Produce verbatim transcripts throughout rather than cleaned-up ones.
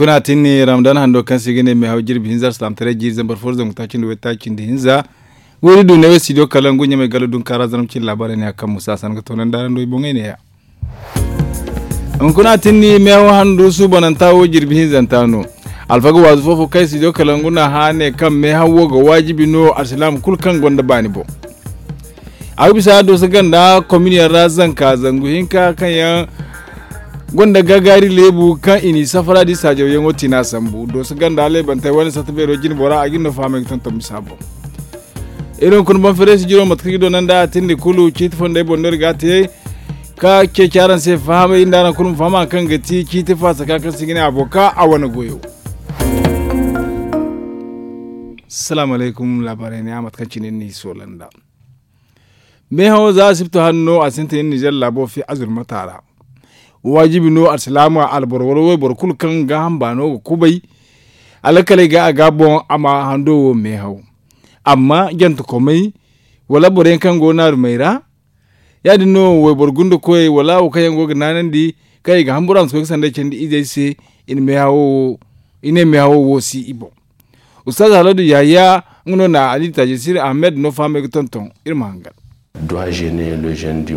Kuna tinni ramadan hando kaŋ se i ga ne meehaw jirbi hinza alsilaamataray jiiri zambar fo zangu taaci nda way taaci nda hinza. Wayri du ne way studio kalangu ɲamay galo dunkaara zarma cine laabaarey ne a kaŋ musa a san ga toonandi araŋ do i boŋey ne-ya. Hunkuna tinni meehaw handu suubananta wo jirbi hinzanta no. Alfaga waazu fo-fo kaŋ studio kalangu n'a hã ne kaŋ meehaw wo ga waajibi no alsilaama kulu kaŋ gonda baani boŋ. A ga bisa dooso ganda kominiyaŋ ra zanka zangu hinka kaŋ yaŋ gonda gagaari leebu kaŋ i n'i safara da i saajawyaŋo tina sambu dooso ganda leebantey wane satta beero jine bora a ga iri no fahamey ga tonton bisa boŋ. Iri hunkuna boŋ fereesi jiro mate kaŋ i doonandi a tindi kulu ciiti fondey boŋ no iri ga a te. Ka ceeci araŋ se fahamay iri nda araŋ kulu ma faham hari kaŋ ga ti ciiti faasaka kaŋ se i ga ne a boŋ ka a wane goyo. Salaamu alaykum laabaarey ne a mate kaŋ cine iri n'i soola nda meehawo za asibti hanno a sintin iri nizer laabo fi azurmata ra. Waajibi no alsilaama alboro wala wayboro kulu kaŋ gaaham baano ga kubay alkaley ga a ga a boŋ a ma hando wo meehaw. Amma jantakomey wala boro yaŋ kaŋ go naarumey ra ya- din no wayboro gundakoyey wala wo kaŋ yaŋ go ga naanandi kaŋ i ga hamburu a ma si koy ga sanday candi izey se. I ne meehawo wo si i boŋ. Ustaaz haladu yahaya nga no na ali taajisir ahmed no fahamey ga tonton iri ma hangan.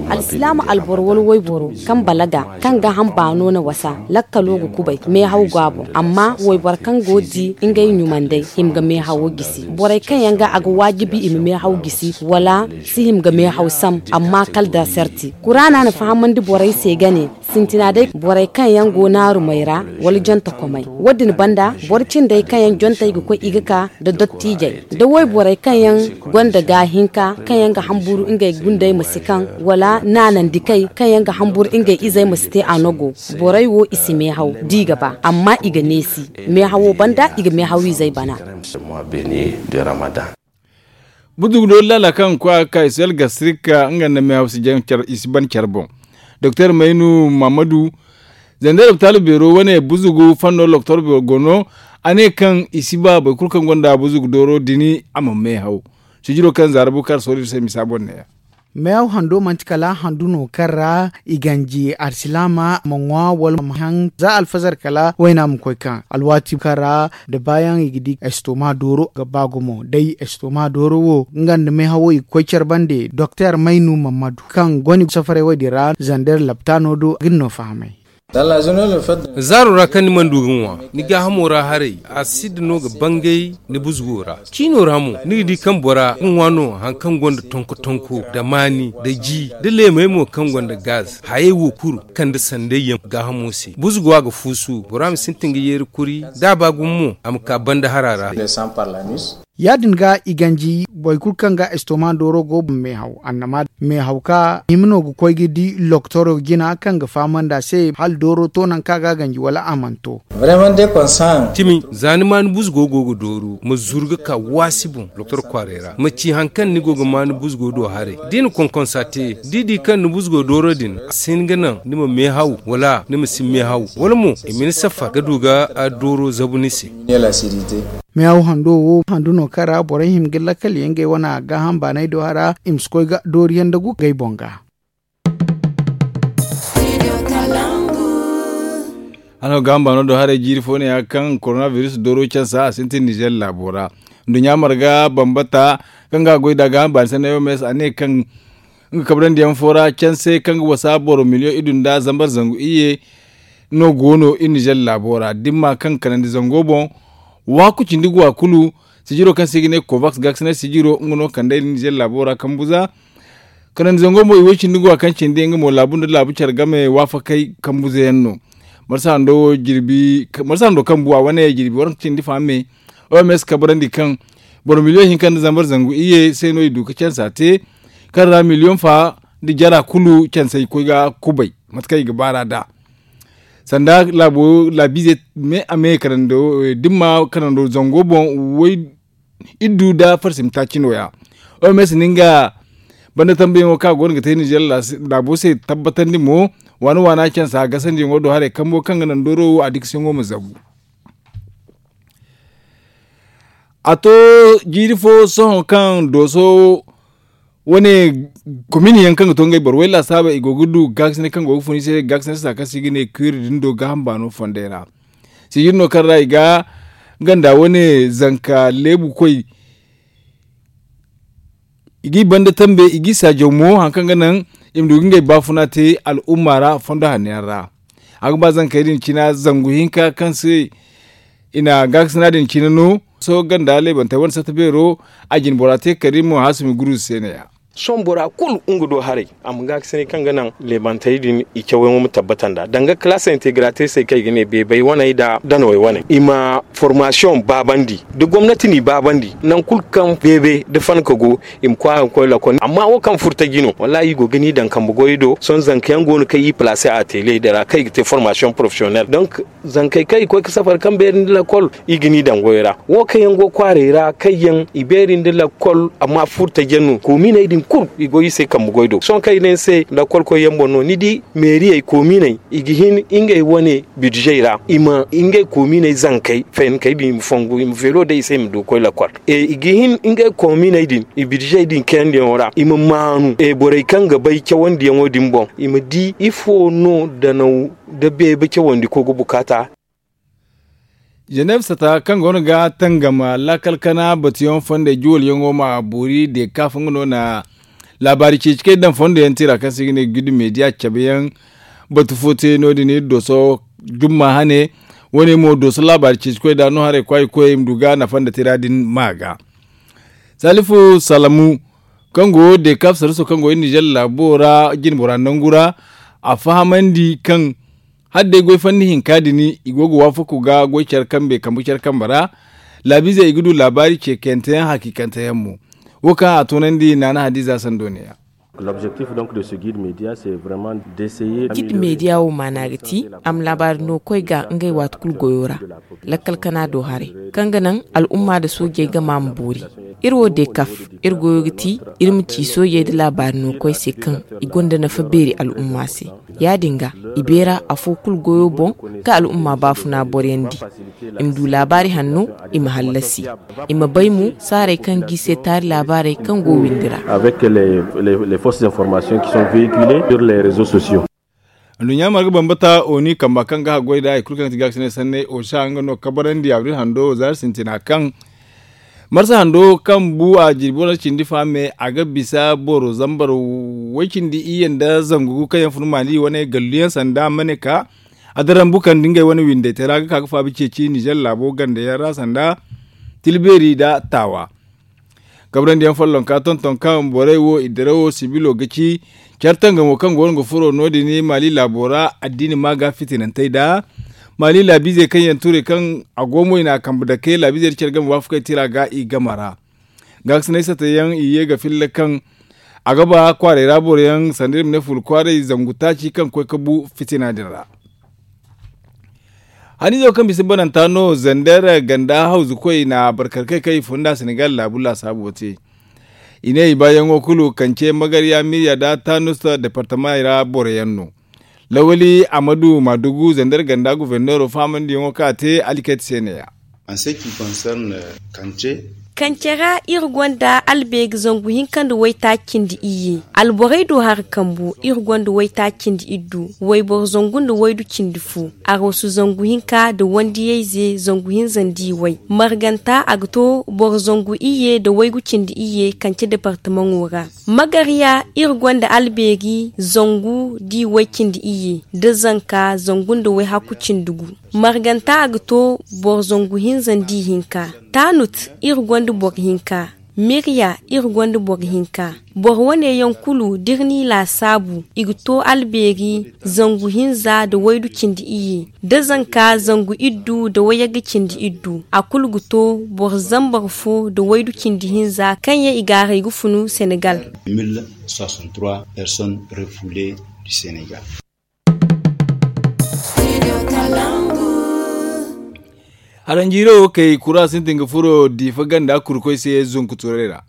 Alsilaama alboro wala wayboro kaŋ balaga kaŋ gaaham baano na wasa lakkalo ga kubay meehaw go a boŋ amma wayboro kaŋ go ga di ngey ɲumandey hima ga meehawo gisi borey kaŋ yaŋ ga a ga waajibi i ma meehaw gisi wala si hima ga meehaw sam amma kala da sarti kuraana na fahamandi borey se ga ne sintina day borey kaŋ yaŋ go naarumey ra wala jantakomey wo- din banda boro cindey kaŋ yaŋ jontey ga koy i ga ka nda dottiijey nda wayborey kaŋ yaŋ gonda gaahinka kaŋ yaŋ ga hamburu ngey gundey ma si kaŋ wala naanandikey kaŋ yaŋ ga hamburu ngey izey ma si te a nogo. Borey wo i si meehaw da i ga ba amma i ga neesi meehawo banda i ga meehaw izey bana. Buzugu doori laala kaŋ ga koy a ga ka isel gastrik nga nda meehaw si ban care boŋ. Doktor maynu mahamadu zanda doktor beero wane buzugu fanno doktor beero go no. A ne kaŋ i si ba boro kulu kaŋ gonda buzugu dooro dini a ma meehaw. Sijiro kaŋ zaara bukar soori iri se misa boŋ ne- ya. Meehaw hando manti kala handu no kaŋ ra i ganji alsilaama ma ŋwa wala ma haŋ za alfazar kala wayna ma koy kaŋ alwaati kaŋ ra da baayaŋ i ga di estoma dooro ga ba gumo day estoma dooro wo nga nda meehawo i ga koy care bande doktor maynu mammadu kaŋ goni safaray wo- din ra zander laptaano do ga ni no fahamay. Zaaro ra kaŋ ni mana du ga ŋwa ni gaahamo ra haray a si da no ga bangay ni buzugo ra ciino ra mo ni ga di kaŋ bora ga ŋwa no hari kaŋ gonda tonko tonko da maani da ji da leemey mo kaŋ gonda gaz hayey wo kulu kaŋ da sanday yaŋ gaahamo se buzugo a ga fuusu bora ma sintin ga yeeri kuri da a ba gumo mo a ma ka banda hara ra. Ya- din ga i ganji boro kulu kaŋ ga estoma dooro go boŋ meehaw annama meehaw ka hima no ga koy ga di loktoro jina kaŋ ga fahamandi a se hala dooro to nangu kaŋ a ga a ganji wala a mana to. Timi za ni ma ni buzugo go ga dooru ma zuru ga ka waasi boŋ loktoro kwaaray ra ma ci hari kaŋ ni go ga ma ni buzugo do haray da i na konkonsa te da i di kaŋ ni buzugo dooro din a si hin ga naŋ ni ma meehaw wala ni ma si meehaw wala mo i ma ni safar ga du ga dooro zabu ni se. Meehaw hando wo handu no kaŋ ra borey hima ga lakkal yaŋ ngey wane gaaham baanay do hara i ma si koy ga dooriyaŋ nda gu ngey boŋ ga. Hala gaaham baano do haray jiiri fo ne ya kaŋ korona biris dooro cansa a sintin nizer laabo ra. Nduɲɲa marga bambata kaŋ ga a goy nd'a gaaham baani sanna yomes a ne kaŋ nga kabrandi yaŋ fo ra canse kaŋ ga wasa boro miliyoŋ iddu nda zambar zangu iyye no go no iri nizer laabo ra da ni ma kaŋ kanandi zango boŋ. Waaku cindi guwa kulu sijiro kaŋ se i ga ne kovaks gaaksinay sijiro nga no kand'ey iri nizer laabo ra kambu za. Kanandi zango mo i way cindi guwa kaŋ cindi nga mo laabu nda laabu care game waafakey kambu za yaŋ no. Marsa hando kambu a wane jirbi waranka cindi fahamey. Oms kabrandi kaŋ boro miliyoŋ hinka nda zambar zangu iyye se no i du ga cansa te kaŋ ra miliyoŋ fa nda jara kulu cansey koy ga kubay mate kaŋ i ga baar'a nd'a. Sanda laabo laabiize me a me kanando da ni ma kanando zango boŋ way iddu nda farsim taaci no- ya. Oms na nga banda tambayaŋo kaŋ a go no ga te nizer laabo se tabbatandi mo waana waana cansa gasandiyaŋo do haray kambo kaŋ ga naŋ dooro wo a dikasiyaŋo ma zabu. A to jiiri fo sohõ kaŋ dooso wane komini yaŋ kaŋ ga to ngey boro way laasaabey i go ga du gaakasine kaŋ go ga fun i se gaakasine saaka se i ga ne kuuri din do gaaham baano fondey ra. Sijir no kaŋ ra i ga ganda wane zanka leebu koy. I g'i banda tambe i g'i saajaw mo hari kaŋ ga naŋ i ma du ga ngey baafuna te al'umma ra fondo hanno yaŋ ra. A ga ba zankey din cina zangu hinka kaŋ se i na gaakasina din cina no. Sohõ ganda leebantey wane satta beero a jine bora te kariim haasumi guruusu se ne-ya. Sohõ bora kulu nga do haray a ma gaakasinay kaŋ ga naŋ leebantey din i cawyaŋo ma tabbata nd'a danga kalaasa integrateesey kaŋ i ga ne beebay waney nda danawey waney i ma formaasiyoŋ baabandi, da gomnati n'i baabandi nangu kulu kaŋ beebe nda fanka go, i ma kwaara ga koy lakol amma wo kaŋ furtaji no wallaahi i go ga ni daŋ kambe goyey do sohõ zanka yaŋ go no kaŋ i palaase a teeley din ra kaŋ i ga te formaasiyoŋ porofesiyonel donk zankey kaŋ i ga koy ga safari kaŋ beeri nda lakol i ga ni daŋ goyey ra. Wo kaŋ yaŋ go kwaarey ra kaŋ yaŋ i beeri nda lakol amma furtaji yaŋ no koominey din kulu i go i se kambe goy do sohõ kaŋ i ne ni se lakolkoy yaŋ boŋ no ni di meeriyey koominey i ga hin ngey wane bidizey ra i ma ngey koominey zankey fahinkey din i ma fongu i ma veelo day i se i ma du ga koy lakol. I ga hin ngey koominey din i bidizey din kayandiyaŋo ra i ma maanu borey kaŋ ga bay cawandiyaŋo din boŋ i ma di ifo no danaw nda beebe cawandi koy ga bukaata. Ženeeb sata kaŋ go no ga tangam laakal kana batuyaŋ fondey juwalyaŋo ma boori deekaaf nga no na laabaari ceeci kaŋ i daŋ fondo yaŋ tira kaŋ se i ga ne gudi meediya cabe yaŋ batu fo te no- din iri dooso jumma hane. Wane mo dooso laabaari ceeci koy da no haray kwaayi koyey i ma du ga nafa nda tira din ma ga. Salifu salamu kaŋ go deekaaf saraso kaŋ go iri nizer laabo ra jinbora nangu ra a fahamandi kaŋ hala day goy fanni hinka din i go ga waafaku ga goy care kambe kambe care kambe ra laabiizey i ga du laabaari ce kayante yaŋ hakiikante yaŋ mo. Wo kaŋ a toonandi naana hadiiza sando ne-ya. Gid meediya wo maana ga ti a ma laabaari no koy ga ngey waati kulu goyo ra lakkal kana do haray kaŋ ga naŋ al'umma nda soojey game a ma boori. Iri wo deekaf iri goyo ga ti iri ma ci soojey nda laabaari no koy se kaŋ i gonda nafa beeri al'umma se. Ya- din ga i beera afo kulu goyo boŋ ga al'umma baafuna boryandi i ma du laabaari hanno i ma hallasi i ma bay mo saarey kaŋ ga i se taari laabaarey kaŋ go windi ra. Anduɲɲa marga bambata oni kamba kaŋ ga haggoy nd'a hari kulu kaŋ ga ti gaakasinay sanney osa nga no kabarandi abril hando zaari sintina kaŋ marsa hando kaŋ bu a jirbi wane cindi fa me a ga bisa boro zambar way cindi iyye nda zangu gu kaŋ yaŋ fun maali wane gallu yaŋ sanda mane ka a darambu kaŋ nda ngey wane windey te ra ga ka ga faabi ceeci nizer laabo ganda yaŋ ra sanda tilbeeri nda taawa. Kabrandi yaŋ follonka tonton kaŋ borey wo i dirawo sibilo ga ci care tangamo kaŋ go no ga furo no- din maali laabo ra addiini ma ga fitinantey nda maali laabiizey kaŋ yaŋ tuurey kaŋ a go mo i na a kambe dake laabiizey nda care game waafakey tira ga i game ra. Gaakasinay sata yaŋ i ye ga filla kaŋ a ga ba kwaarey ra boro yaŋ sanda iri ma ne fuula kwaaray zangu taaci kaŋ ga koy ga bu fitina din ra. Haniizo kaŋ bisa bananta no zander ganda hawzu koy na barkarkey kaŋ i funda senegal laabu laasaabo te. I ne i baayaŋo kulu kance magarya mirya nda tanusta departamey ra boro yaŋ no. Lawali amadu madugu zander ganda guverneero faamandiyaŋo kaŋ a te alkayt se ne-ya. Kance ra iri gonda albeeri zangu hinka nda waytaaci cindi iyye alborey do hari kambu iri gonda waytaaci cindi iddu wayboro zangu nda waydu cindi fu aroosu zangu hinka nda wandiyayze zangu hinza nda i way marganta a ga to boro zangu iyye nda waygu cindi iyye kance departamaŋo ra. Magarya iri gonda albeeri zangu nda i way cindi iyye nda zanka zangu nda wayhaku cindi gu. Marganta a ga to boro zangu hinza nda i hinka. Tanut iri gonda boro hinka. Mirya iri gonda boro hinka. Boro wane yaŋ kulu da iri n'i laasaabu i ga to albeeri zangu hinza nda waydu cindi iyye nda zanka zangu iddu nda wayagga cindi iddu a kulu ga to boro zambar fo nda waydu cindi hinza kaŋ yaŋ i gaaray ga funu senegal. Personnes refoulées du senegal. Haranjiiro kay kura sintin ga furo diifa ganda kurkoy se zunku turay ra.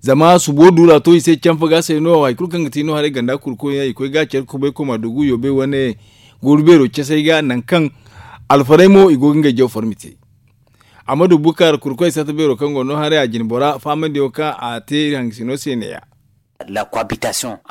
Zama subo duura to i se canfa ga se no hari kulu kaŋ ga ti no haray ganda kurkoy yaŋ i koy ga care kubay koma dugu yoobay wane gooru beero casay ga nangu kaŋ alfaray mo i go ga ngey jaw farmi te. Amadu bukar kurkoy sata beero kaŋ go no haray a jine bora faamandiyaŋo kaŋ a te iri hangasino se ne- ya.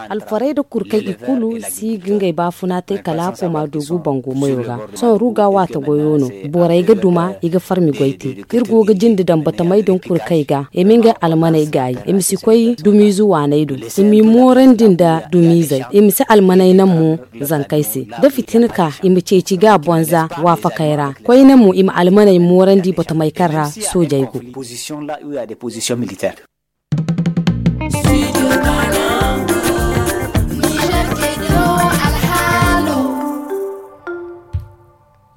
Alfarey nda kurkey i kulu si ga ngey baafuna te kala a koma doogu bango mayo ra. Sohõ ruga waata goyo no. Borey ga duma i ga farmi goy te. Iri go ga jinde daŋ batamey din kurkey ga i ma ngey almaney gaayi i ma si koy dumiize waaney do. I m'i moorandi nda dumiizey i ma si almaney naŋ mo zankey se. Da fitina ka i ma ceeci ga a bonza waafakey ra. Koyne mo i ma almaney moorandi batamey kaŋ ra soojey go.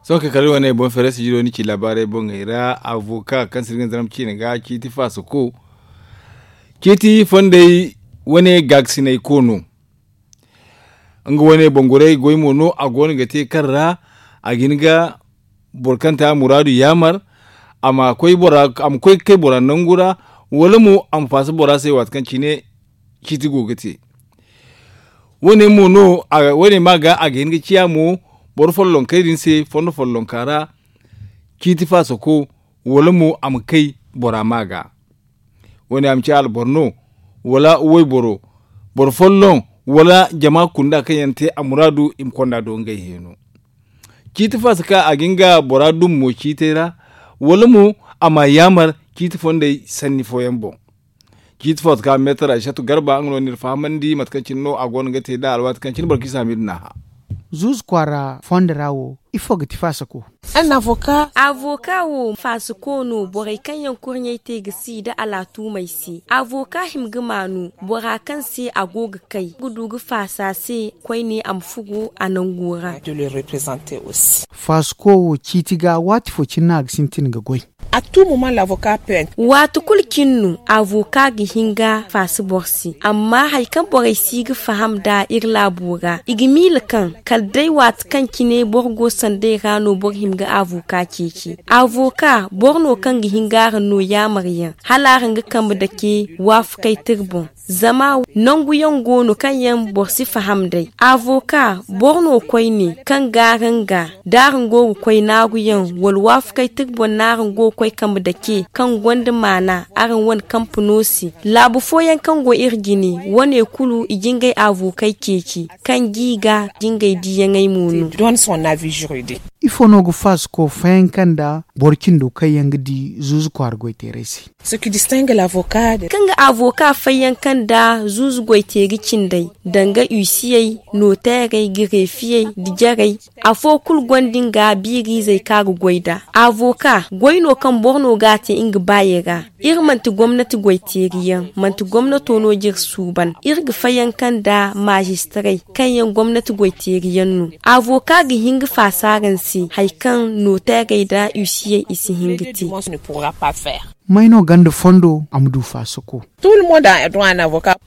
Sohõ kay kala iri wane boŋ feere sijiro ni ci laabaarey boŋey ra. Avoka kaŋ sirgin zaram ciine ga ciiti faasako ciiti fondey wane gaakasinay ko no. Nga wane bangurey goy mo no a goono ga te kaŋ ra a ga hin ga boro kaŋ te a muraadu yaamar a ma koy ga kay bora nangu ra, wala mo a ma faasa bora se waati kaŋ cine ciiti go ga te. Wane mo no wane ma ga a ga hin ga ciya mo boro follonkey din se fondo follonka ra ciiti faasako, wala mo a ma kay bora ma ga. Wane a ma ci alboro no, wala wayboro, boro folloŋ, wala jama kunda kaŋ yaŋ te a muraadu i ma konda do ngey heeno. Ciiti faasa ka a ga nga bora dum mo ciitey ra, wala mo a ma yaamar ciiti fondey sanni fooyaŋ boŋ. Ciiti faasa ka meetar aysatu garba nga no ni iri fahamandi mate kaŋ cine no a go no ga te nd'a alwaati kaŋ cine boro kaŋ i si a ma iri naaha. Zuuzu kwaara fondo ra wo ifo ga ti faasako? Avoka wo faasako no borey kaŋ yaŋ kurɲey te ga si nda alaatumey se. Avoka hima ga maanu bora kaŋ se a go ga kay ga du ga faasa se koyne a ma fugo a nango ra. Faasako wo ciiti ga waati fo cine no a ga sintin ga goy. Waati kulu cine no avoka ga hin ga faasa boro se amma hari kaŋ borey si ga faham nd'a iri laabo ra i ga miila kaŋ kala day waati kaŋ cine boro go sanday ra no boro hima ga avoka ceeci. Avoka boro no kaŋ ga hin ga araŋ no yaamar yaŋ hala araŋ ga kambe dake waafakay tira boŋ. Zama nangu yaŋ go no kaŋ yaŋ boro si faham day. Avoka boro no koyne kaŋ ga araŋ ga da araŋ go ga koy naaru yaŋ wala waafakay tira boŋ no araŋ go ga koy kambe dake kaŋ gonda maana araŋ wane kampe no se. Laabu fooyaŋ kaŋ go iri jine wane kulu i ga ngey avokey ceeci kaŋ g'i ga ga ngey diiyaŋey mo no. Ifo no ga faasako fayanka nda boro cindo kaŋ yaŋ ga di zuuzu kwaara goyteerey se? Kaŋ ga avoka fayanka nda zuuzu goyteeri cindey danga usiyey, nooteerey, gareefiyey nda jarey. Afo kulu gonda nga biiriizey kaŋ a ga goy nd'a. Avoka goy no kaŋ boro no ga a te nga baayey ra. Iri manti gomnati goyteeri yaŋ manti gomnato no ga iri suuban. Iri ga fayanka nda maazistarey kaŋ yaŋ gomnati goyteeri yaŋ no. Avoka ga hin ga faasa araŋ se hari kaŋ nooteerey nda usiyey i si hin ga te. May no gonda fondo a ma du faasako?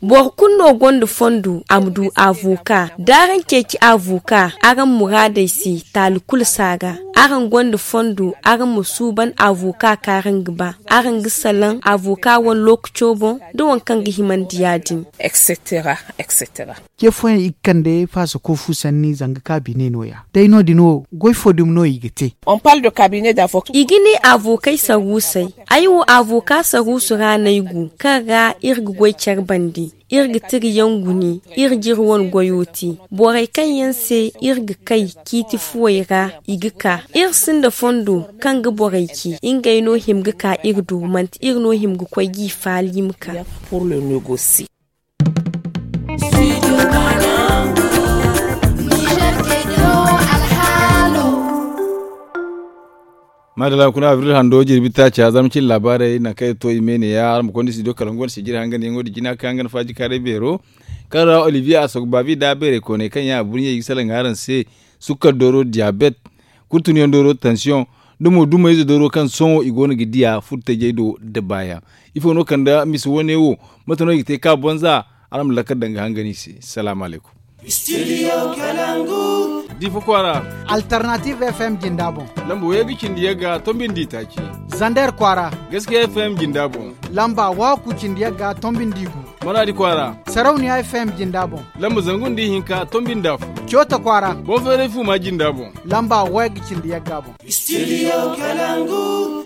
Boro kulu no gonda fondo a ma du avoka. Da araŋ ceeci avoka araŋ muraadey se taali kulu si a ga. Araŋ gonda fondo araŋ ma suuban avoka kaŋ araŋ ga ba. Araŋ ga salaŋ avoka wane lookaco boŋ da waŋ kaŋ ga himandi ya-din. Cee fooyaŋ i ga kande faasako fu sanni zanga kaabine no- ya day no- din wo goy fo dumi no i ga te? I ga ne avokey saruusey. Ay wo avoka saruusu ra no ay go kaŋ ra iri ga goy care bande. Iri ga tira yaŋ gune. Iri ga iri wane goyo te. Borey kaŋ yaŋ se iri ga kay ciiti fuwey ra i ga ka. Iri sinda fondo kaŋ ga borey ce ngey no hima ga ka iri do manti iri no hima ga koy g'i faali ma ka. Maadalla kuna abril hando jirbi taaca zama cin laabaarey nangu kaŋ iri to i me ne- ya araŋ ma konda studio kala nga wane sijiri hangan yaŋo da jina kaŋ yaŋ ga na faaji kaaray beero kaŋ ra olivier a sogo baabi da beerey kooney kaŋ yaŋ a burɲey i ga salaŋ araŋ se. Sukkar dooro diyabet, kulu tunyaŋ dooro tansiyoŋ, da mo dumayze dooro kaŋ sohõ i go no ga diya furtajey do nda baayaŋ. Ifo no kande misa wane wo? Mate no i ga te ka bonza? Araŋ ma lakkal daŋ ga hangan i se. Salaamu alaykum. Difa kwaara. Alternative f m jinda boŋ. Lamba wayey ga cindi yagga tombi nda itaaci. Zander kwaara. Gaskiya f m jinda boŋ. Lamba waku cindi yagga tombi nda igu. Maraadi kwaara. Sarauniya f m jinda boŋ. Lamba zangu nda ihinka tombi nda afo. Coota kwaara. Boŋ feeray fuuma jinda boŋ. Lamba wayey ga cindi yagga boŋ. Studio kalangu.